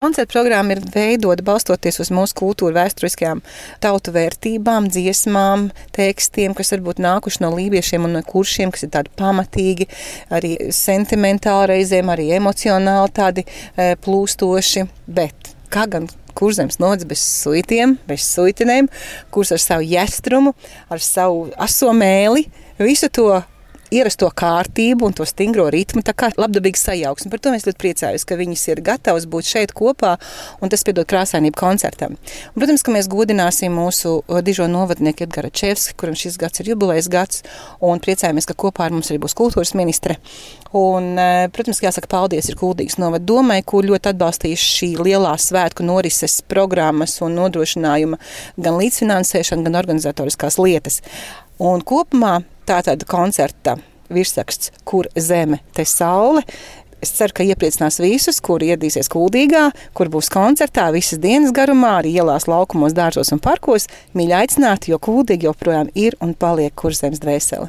Koncerta programma ir veidota balstoties uz mūsu kultūra vēsturiskajām tautu vērtībām, dziesmām, tekstiem, kas varbūt nākuši no lībiešiem un no kuršiem, kas ir tādi pamatīgi, arī sentimentāli reizēm, arī emocionāli tādi plūstoši, bet kā gan Kurzems novads bez suitiem, bez suitinēm, kurs ar savu jestrumu, ar savu aso mēli, visu to ierasto kārtību un to stingro ritmu, tā kā labdabīga sajauksme. Par to mēs ļoti priecājamies, ka viņas ir gatavas būt šeit kopā, un tas piedod krāsainību koncertam. Un, protams, ka mēs godināsim mūsu dižo novadnieku Edgara Čevski, kuram šis gads ir jubilejas gads, un priecājamies, ka kopā ar mums arī būs kultūras ministre. Un, protams, jāsaka paldies ir Kuldīgas novada domai, kur ļoti atbalstījuši šī lielā svētku norises programmas un nodrošinājuma gan līdzfinansēšana, gan organizatoriskās lietas. Un kopumā tātad koncerta virsraksts Kur zeme, te saule. Es ceru, ka iepriecinās visus, kuri ieradīsies Kuldīgā, kur būs koncertā visas dienas garumā, arī ielās, laukumos, dārzos un parkos. Mīļi aicināti, jo Kuldīga joprojām ir un paliek Kurzemes dvēsele.